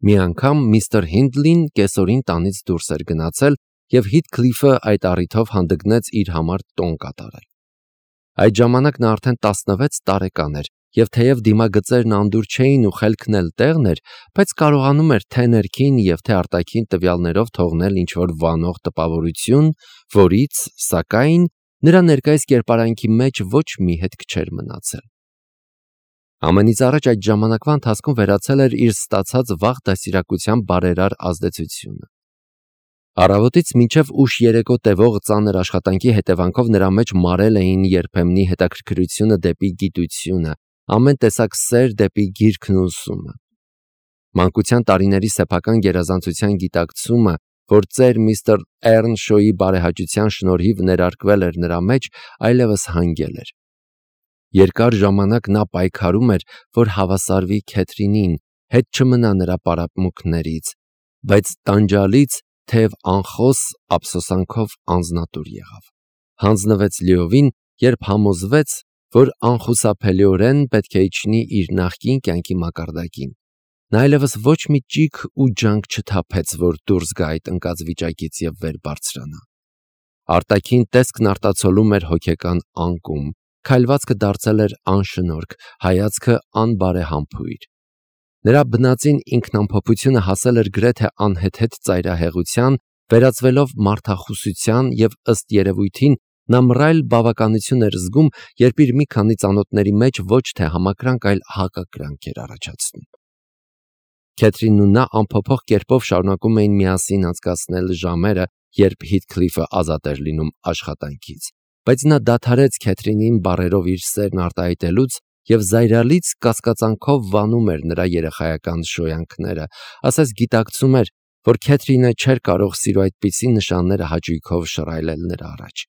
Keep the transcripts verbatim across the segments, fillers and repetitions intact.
Մի անգամ միստր Հինդլին կեսօրին տանից դուրս էր գնացել և Հիթքլիֆը այդ առիթով հանդգնեց իր համար տոն կատարել։ Այդ ժամանակ նա արդեն տասնվեց տարեկան էր և թեև դիմագծերն անդուր չէին ու խելքն էլ տեղն էր, բայց կարողանում էր թե ներքին և թե արտաքին տվյալներով թողնել ինչ-որ վանող տպավորություն, որից, սակայն, նրա ներկայիս կերպարանքի մեջ ոչ մի հետք չէր մնացել։ Ամենից առաջ այդ ժամանակվա ընթացքում վերացել էր իր ստացած վաղ դաստիարակության բարերար ազդեցությունը։ Առավոտից մինչև ուշ երեկո տևող ծանր աշխատանքի հետևանքով նրա մեջ մարել էին երբեմնի հետաքրքրությունը դեպի գիտությունը, ամեն տեսակ սեր դեպի գիրքն ու ուսումը։ Մանկության տարիների սեփական գերազանցության գիտակցումը, որ ծեր միստր Էռնշոյի բարեհաճության շնորհիվ ներարկվել էր նրա մեջ, այլևս հանգել էր։ Երկար ժամանակ նա պայքարում էր, որ հավասարվի Քեթրինին, հետ չմնա նրա պարապմունքներից, բայց տանջալից, թեև անխոս ափսոսանքով անձնատուր եղավ։ Հանձնվեց լիովին, երբ համոզվեց, որ անխուսափելիորեն պետք է իջնի իր նախկին կյանքի մակարդակին։ Նա այլևս ոչ մի ճիգ ու ջանք չթափեց, որ դուրս գա այդ ընկած վիճակից և վեր բարձրանա։ Արտաքին տեսքն արտացոլում էր հոգեկան անկում, քայլվածքը դարձել էր անշնորհք, հայացքը անբարեհամբույր։ Նրա բնածին ինքնամփոփությունը հասել էր գրեթե անհեթեթ ծայրահեղության, վերածվելով մարդախուսության և ըստ երևույթին նա մռայլ բավականություն էր զգում, երբ իր մի քանի ծանոթների մեջ ոչ թե համակրանք, այլ հակակրանք էր առաջացնում։ Քեթրինն ու նա անփոփոխ կերպով շարունակում էին միասին անցկացնել ժամերը, երբ Հիթքլիֆը ազատ էր լինում աշխատանքից, բայց նա դադարեց Քեթրինին բառերով իր սերն արտահայտելուց և զայրալից կասկածանքով վանում էր նրա երեխայական շոյանքները, ասես գիտակցում էր, որ Քեթրինը չէր կարող սիրո այդպիսի նշանները հաճույքով շռայլել նրա առաջ։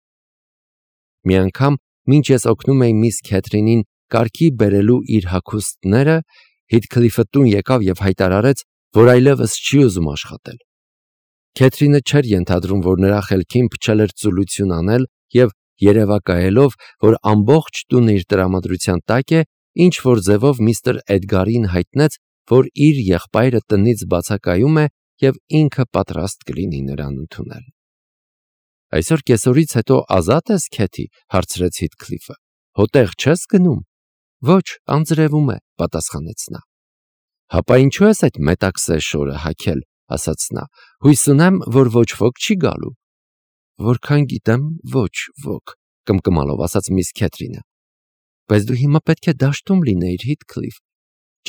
Մի անգամ, մինչ ես օգնում էի միս Քեթրինին կարգի բերելու իր հագուստները, Հիթքլիֆը տուն եկավ և հայտարարեց, որ այլևս չի ուզում աշխատել։ Քեթրինը չէր ենթադրում, որ նրա խելքին փչել էր ծուլություն անել և երևակայելով, որ ամբողջ տունը իր տրամադրության տակ է, ինչ-որ ձևով միստր Էդգարին հայտնեց, որ իր եղբայրը տնից բացակայում է և ինքը պատրաստ կլինի նրան ընդունել։ «Այսօր կեսօրից հետո ազատ ես, Քեթի», հարցրեց Հիթքլիֆը։ «Հո տեղ չես գնում»։ «Ոչ, անձրևում է», պատասխանեց նա։ «Հապա ինչու ես այդ մետաքսե շորը հագել», ասաց նա։ «Հույս ունեմ, որ ոչ ոք չի գալու»։ «Որքան գիտեմ, ոչ ոք», կմկմալով ասաց միս Քեթրինը։ «Բայց դու հիմա պետք է դաշտում լինեիր, Հիթքլիֆ։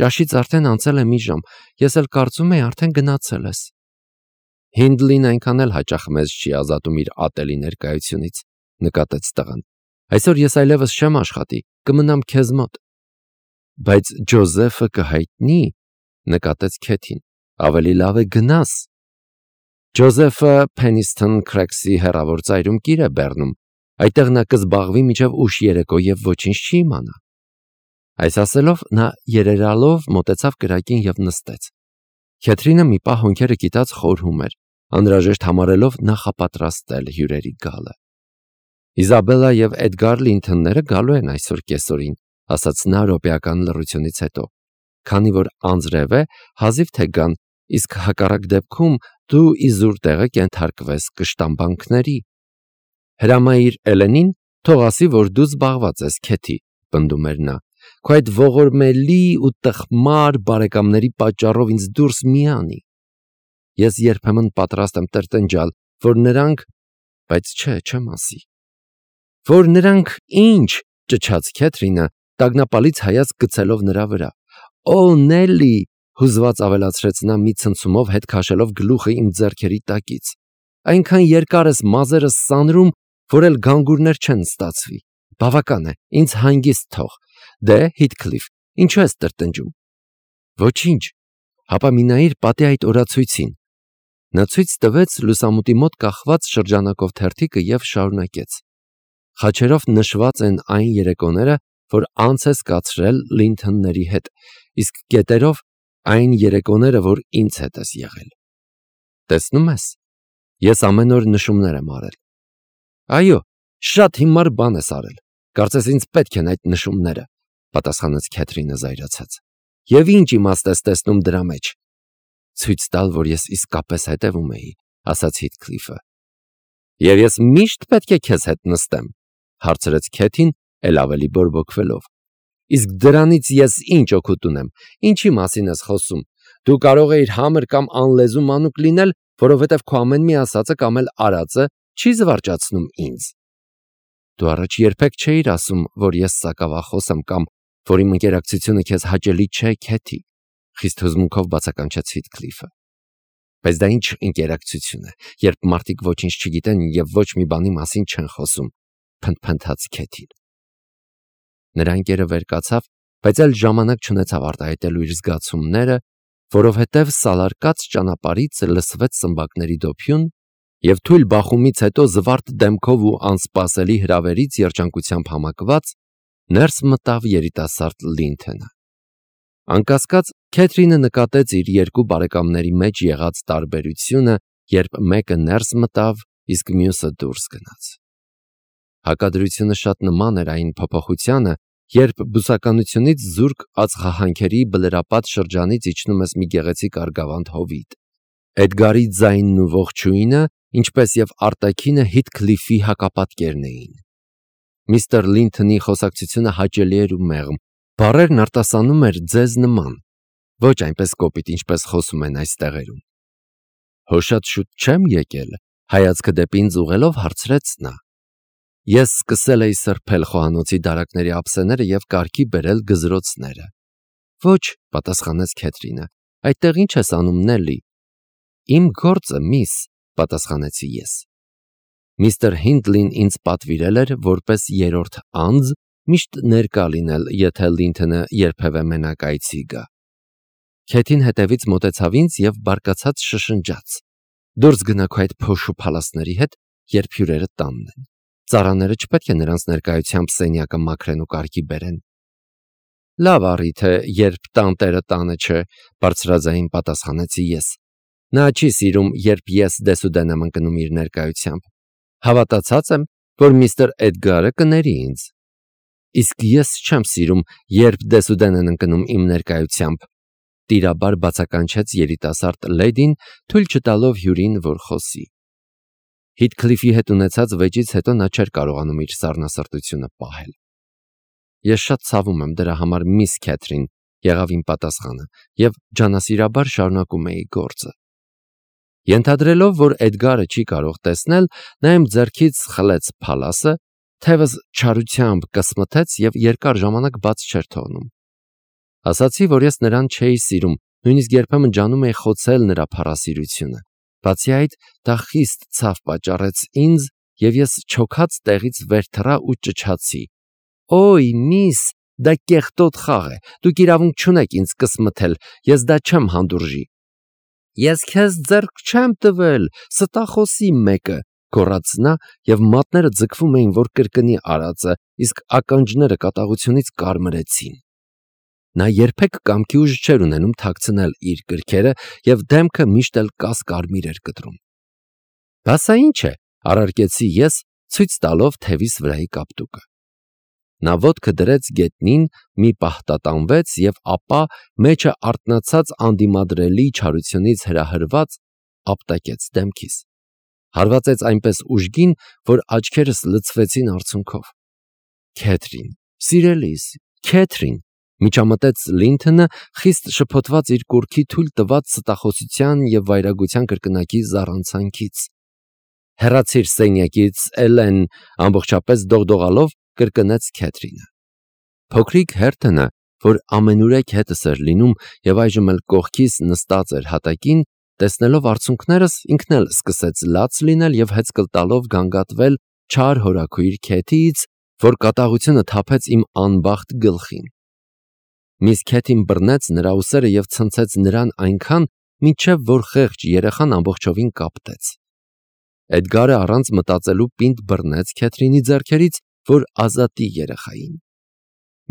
Ճաշից արդեն անցել է մի ժամ, ես էլ կարծում էի արդեն գնացել ես»։ «Հինդլին այնքան էլ հաճախ մեզ չի ազատում իր ատելի ներկայությունից», նկատեց տղան։ «Այսօր ես այլևս չեմ աշխատի, կմնամ քեզ մոտ»։ «Բայց Ջոզեֆը կհայտնի», նկատեց Քեթին։ «Ավելի լավ է գնաս»։ «Ջոզեֆը Փենիսթոն Քրեքսի հեռավոր ծայրում կիր է բեռնում, այդտեղ նա կզբաղվի մինչև ուշ երեկո և ոչինչ չի իմանա»։ Այս ասելով նա երերալով մոտեցավ կրակին և նստեց։ Քեթրինը մի պահ հոնքերը կիտած խորհում էր, անհրաժեշտ համարելով նախապատրաստել հյուրերի գալը։ «Իզաբելլա և Էդգար Լինթոնները գալու են այսօր կեսօրին», ասաց նա րոպեական լռությունից հետո։ «Քանի որ անձրև է, հազիվ թե գան, իսկ հակառակ դեպքում դու իզուր տեղը կենթարկվես կշտամբանքների»։ «Հրամայիր Էլենին, թող ասի, որ դու զբաղված ես, Քեթի», պնդում էր նա։ «Քո այդ ողորմելի ու տխմար բարեկամների պատճառով ինձ դուրս մի անի։ Ես երբեմն պատրաստ եմ տրտնջալ, որ նրանք, բայց չէ, չեմ ասի»։ «Որ նրանք ի՞նչ», ճչաց Քեթրինը, տագնապալից հայացք գցելով նրա վրա։ «Օ, Նելի», հուզված ավելացրեց նա մի ցնցումով հետ քաշելով գլուխը իմ ձեռքերի տակից։ «Այնքան երկար ես մազերս սանրում, որ էլ գանգուրներ չեն ստացվի։ Բավական է, ինձ հանգիստ թող։ Դե, Հիթքլիֆ, ինչու ես տրտնջում»։ «Ոչինչ, հապա մի նայիր պատի այդ օրացույցին»։ Նա ցույց տվեց լուսամուտի մոտ կախված շրջանակով թերթիկը և շարունակեց. «Խաչերով նշված են այն երեկոները, որ անց ես կացրել Լինթոնների հետ, իսկ կետերով այն երեկոները, որ ինձ հետ ես եղել։ Տեսնում ես, ես ամեն օր նշումներ եմ արել»։ «Այո, շատ հիմար բան ես արել, կարծես ինձ պետք են այդ նշումները», պատասխանեց Քեթրինը զայրացած։ «Եվ ինչ իմաստ ես տեսնում դրա մեջ»։ ցույց տալ, որ ես իսկապես հետևում էի, ասաց Հիթքլիֆը։ Եվ ես միշտ պետք է քեզ հետ նստեմ, հարցրեց Քեթին, ել ավելի բորբոքվելով։ Իսկ դրանից ես ինչ օգուտ ունեմ, ինչի մասին ես խոսում։ Դու կարող էիր համր կամ անլեզու մանուկ լինել, որովհետև քո ամեն մի ասածը կամ էլ արածը չի զվարճացնում ինձ։ Դու առաջ երբեք չէիր ասում, որ ես սակավախոս եմ կամ որ իմ ընկերակցությունը քեզ հաճելի չէ, Քեթի, խիստ հուզմունքով բացականչեց Հիթքլիֆը։ Բայց դա ինչ ընկերակցություն է, երբ մարդիկ ոչինչ չգիտեն եւ ոչ մի բանի մասին չեն խոսում, փնթփնթաց Քեթին։ Նրա ընկերը վեր կացավ, բայց այլ ժամանակ չունեցավ արտահայտելու իր զգացումները, որովհետև սալարկած ճանապարհից լսվեց սմբակների դոփյուն եւ թույլ բախումից հետո զվարթ դեմքով ու անսպասելի հրավերից երջանկությամբ համակված ներս մտավ երիտասարդ Լինթոնը։ Անկասկած Քեթրինը նկատեց իր երկու բարեկամների մեջ եղած տարբերությունը, երբ մեկը ներս մտավ, իսկ մյուսը դուրս գնաց։ Հակադրությունը շատ նման էր այն փոփոխությանը, երբ բուսականությունից զուրկ ածխահանքերի բլրապատ շրջանից իջնում ես մի գեղեցիկ արգավանդ հովիտ։ Էդգարի ձայնն ու ողջույնը, ինչպես եւ արտաքինը Հիթքլիֆի հակապատկերն էին։ Միստր Լինթոնի խոսակցությունը հաճելի էր ու մեղմ, բառերն արտասանում էր ձեզ նման, ոչ այնպես կոպիտ, ինչպես խոսում են այս տեղերում։ Հո շատ շուտ չեմ եկել, հայացքը դեպի ինձ ուղղելով հարցրեց նա։ Ես սկսել էի սրբել խոհանոցի դարակների ափսեները եւ կարգի բերել գզրոցները։ Ոչ, պատասխանեց Քեթրինը, այդտեղ ինչ ես անում, Նելի։ Իմ գործը, միս, պատասխանեցի ես։ Միստր Հինդլին ինձ պատվիրել էր որպես երրորդ անձ միշտ ներկա լինել, եթե Լինթոնը երբևէ մենակ այցի գա։ Քեթին հետևից մոտեցավ ինձ եւ բարկացած շշնջաց. Դուրս գնա քո այդ փոշու փալասների հետ, երբ հյուրերը տանն են։ Ծառաները չպետք է նրանց ներկայությամբ սենյակը մաքրեն ու կարգի բերեն։ Լավ առիթ է, երբ տանտերը տանը չէ, բարձրաձայն պատասխանեցի ես։ Նա չի սիրում, երբ ես դեսուդեն եմ ընկնում իր ներկայությամբ։ Հավատացած եմ, որ միստր Էդգարը կների ինձ։ Իսկ ես չեմ սիրում, երբ դեսուդեն են ընկնում իմ ներկայությամբ։ Տիրաբար բացականչեց երիտասարդ լեդին, թույլ չտալով հյուրին, որ խոսի։ Հիթքլիֆի հետ ունեցած վեճից հետո նա չէր կարողանում իր սառնասրտությունը պահել։ Ես շատ ցավում եմ դրա համար, միս Քեթրին, եղավ իմ պատասխանը, եւ ջանասիրաբար շարունակում էի գործը։ Ենթադրելով, որ Էդգարը չի կարող տեսնել, նա իմ ձեռքից խլեց փալասը, թևս չարությամբ կսմթեց եւ երկար ժամանակ բաց չէր թողնում։ Ասացի, որ ես նրան չէի սիրում, նույնիսկ երբեմն ջանում էի խոցել նրա փառասիրությունը։ Բացի այդ, դա խիստ ցավ պատճառեց ինձ, եւ ես չոքած տեղից վեր թռա ու ճչացի. «Օй, միս, դա կեղտոտ խաղ է, դուք իրավունք չունեք ինձ կսմթել, ես դա չեմ հանդուրժի»։ Ես քեզ ձեռք չեմ տվել, ստախոսի մեկը, գոռաց նա, եւ մատները ձգվում էին, որ կրկնի արածը, իսկ ականջները կատաղությունից կարմրեցին։ Նա երբեք կամքի ուժ չէր ունենում թաքցնել իր կրքերը եւ դեմքը միշտ էլ կասկարմիր էր կտրում։ Բասա ինչ է, առարկեցի ես, ցույց տալով թևիս վրայի կապտուկը։ Նա ոտքը դրեց գետնին, մի պահ տատանվեց եւ ապա մեջը արթնացած անդիմադրելի չարությունից հրահրված ապտակեց դեմքիս։ Հարվածեց այնպես ուժգին, որ աչքերս լցվեցին արցունքով։ Քեթրին, սիրելիս, Քեթրին, միջամտեց Լինթոնը, խիստ շփոթված իր կուրքի թույլ տված ստախոսության եւ վայրագության կրկնակի զառանցանքից։ Հեռացիր սենյակից, Էլեն, ամբողջապես դողդողալով կրկնեց Քեթրինը։ Փոքրիկ Հերթոնը, որ ամենուրեք հետս էր լինում եւ այժմ էլ կողքիս նստած էր հատակին, տեսնելով արցունքներս, ինքն էլ սկսեց լաց լինել եւ հեծկլ տալով գանգատվել չար հորաքույր Քեթիից, որ կատաղությունը թափեց իմ անբախտ գլխին։ Միս Քեթին բռնեց նրա ուսերը եւ ցնցեց նրան այնքան, մինչեւ որ խեղճ երեխան ամբողջովին կապտեց։ Էդգարը առանց մտածելու պինդ բռնեց Քեթրինի ձեռքերից, որ ազատի երեխային։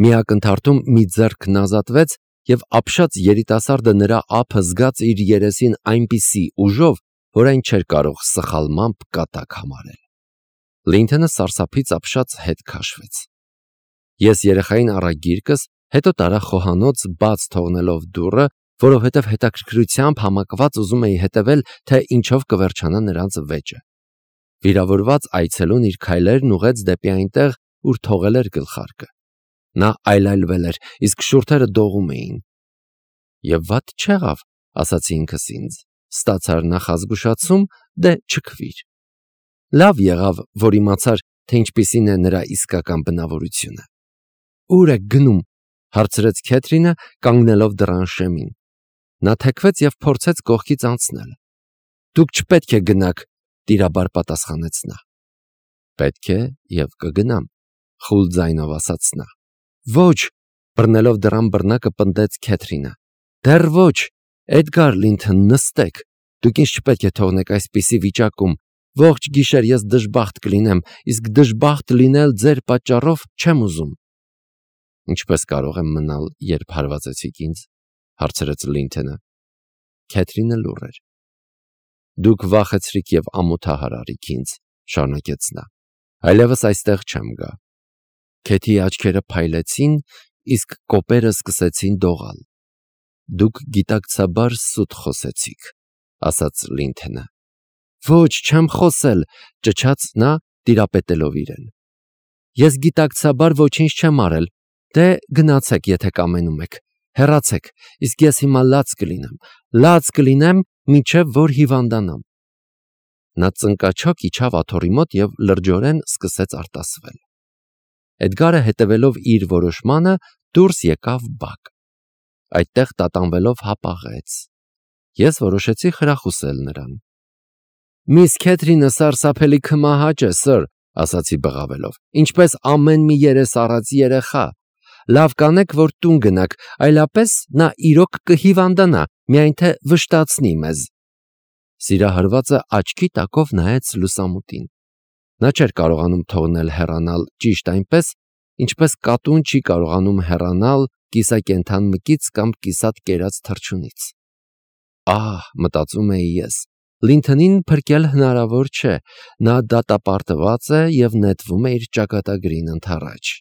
Մի ակնթարթում մի ձեռքն ազատվեց եւ ապշած երիտասարդը նրա ափը զգաց իր երեսին այնպիսի ուժով, որ այն չէր կարող սխալմամբ կատակ համարել։ Լինթոնը սարսափից ապշած հետ քաշվեց։ Ես երեխային առա գիրկս, հետո տարա խոհանոց բաց թողնելով դուռը, որովհետև հետաքրքրությամբ համակված ուզում էի հետևել, թե ինչով կվերջանա նրանց վեճը։ Վիրավորված այցելուն իր քայլերն ուղեց դեպի այնտեղ, ուր թողել էր գլխարկը։ Նա այլայլվել էր, իսկ շուրթերը դողում էին։ Եվ վատ չեղավ, ասացի ինքս ինձ, ստացար նախազգուշացում, դե չքվիր։ Լավ եղավ, որ իմացար, թե ինչպիսին է նրա իսկական բնավորությունը։ Ուր եք գնում, հարցրեց Քեթրինը, կանգնելով դռան շեմին։ Նա թեքվեց և փորձեց կողքից անցնել։ Դուք չպետք է գնաք, տիրաբար պատասխանեց նա։ Պետք է և կգնամ, խուլ ձայնով ասաց նա։ Ոչ, բռնելով դռան բռնակը պնդեց Քեթրինը։ Դեռ ոչ, Էդգար Լինթոն, նստեք, դուք ինձ չպետք է թողնեք այսպիսի վիճակում, ողջ գիշեր ես դժբախտ կլինեմ, իսկ դժբախտ լինել ձեր պատճառով չեմ ուզում։ Ինչպես կարող եմ մնալ, երբ հարվածեցիք ինձ, հարցրեց Լինթոնը։ Քեթրինը լուռ էր։ Դուք վախեցրիք և ամոթահար արիք ինձ, շարունակեց նա, այլևս այստեղ չեմ գա։ Քեթիի աչքերը փայլեցին, իսկ կոպերը սկսեցին դողալ։ Դուք գիտակցաբար սուտ խոսեցիք, ասաց Լինթոնը։ Ոչ, չեմ խոսել, ճչաց նա, տիրապետելով իրեն։ Ես գիտակցաբար ոչինչ չեմ արել, դե գնացեք, եթե կամենում եք, հեռացեք, իսկ ես հիմա լաց կլինեմ, լաց կլինեմ, մինչև որ հիվանդանամ։ Նա ծնկաչոք իջավ աթոռի մոտ և լրջորեն սկսեց արտասվել։ Էդգարը հետևելով իր որոշմանը դուրս եկավ բակ։ Այդտեղ տատանվելով հապաղեց։ Ես որոշեցի խրախուսել նրան։ Միս Քեթրինը սարսափելի քմահաճ է, սըր, ասացի բղավելով, ինչպես ամեն մի երես առած երեխա։ Լավ կանեք, որ տուն գնաք, այլապես նա իրոք կհիվանդանա, միայն թե վշտացնի մեզ։ Սիրահարվածը աչքի տակով նայեց լուսամուտին։ Նա չէր կարողանում թողնել հեռանալ ճիշտ այնպես, ինչպես կատուն չի կարողանում հեռանալ կիսակենդան մկից կամ կիսատ կերած թռչունից։ Ահ, մտածում էի ես, Լինթոնին փրկել հնարավոր չէ, նա դատապարտված է և նետվում է իր ճակատագրին ընդառաջ։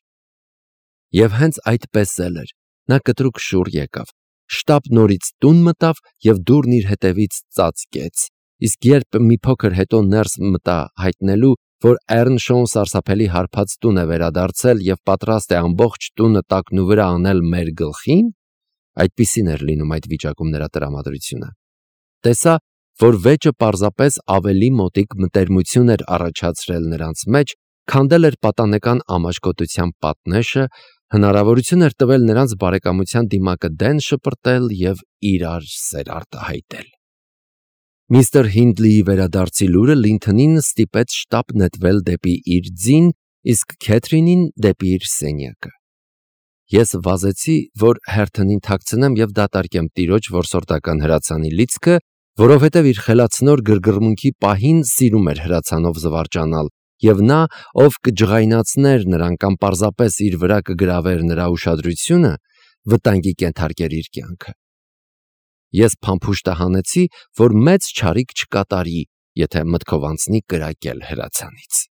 Եվ հենց այդպես էլ էր, նա կտրուկ շուռ եկավ, շտապ նորից տուն մտավ և դուռն իր հետևից ծածկեց, իսկ երբ մի փոքր հետո ներս մտա հայտնելու, որ Էռնշոուն սարսափելի հարբած տուն է վերադարձել և պատրաստ է ամբողջ տունը տակնուվրա անել մեր գլխին, այդպիսին էր լինում այդ վիճակում նրա տրամադրությունը, տեսա, որ վեճը պարզապես ավելի մոտիկ մտերմություն էր առաջացրել նրանց մեջ, քանդել էր պատանեկան ամաչկոտության պատնեշը, հնարավորություն էր տվել նրանց բարեկամության դիմակը դեն շպրտել և իրար սեր արտահայտել։ Միստր Հինդլիի վերադարձի լուրը Լինթոնին ստիպեց շտապ նետվել դեպի իր ձին, իսկ Քեթրինին դեպի իր սենյակը։ Ես վազեցի, որ հերթնին թաքցնեմ և դատարկեմ տիրոջ որսորդական հրացանի լիցքը, որովհետև իր խելացնոր գրգռմունքի պահին սիրում էր հրացանով զվարճանալ, և նա, ով կջղայնացներ նրան կամ պարզապես իր վրա կգրավեր նրա ուշադրությունը, վտանգի կենթարկեր իր կյանքը։ Ես փամփուշտը հանեցի, որ մեծ չարիք չկատարի, եթե մտքով անցնի կրակել հրացանից։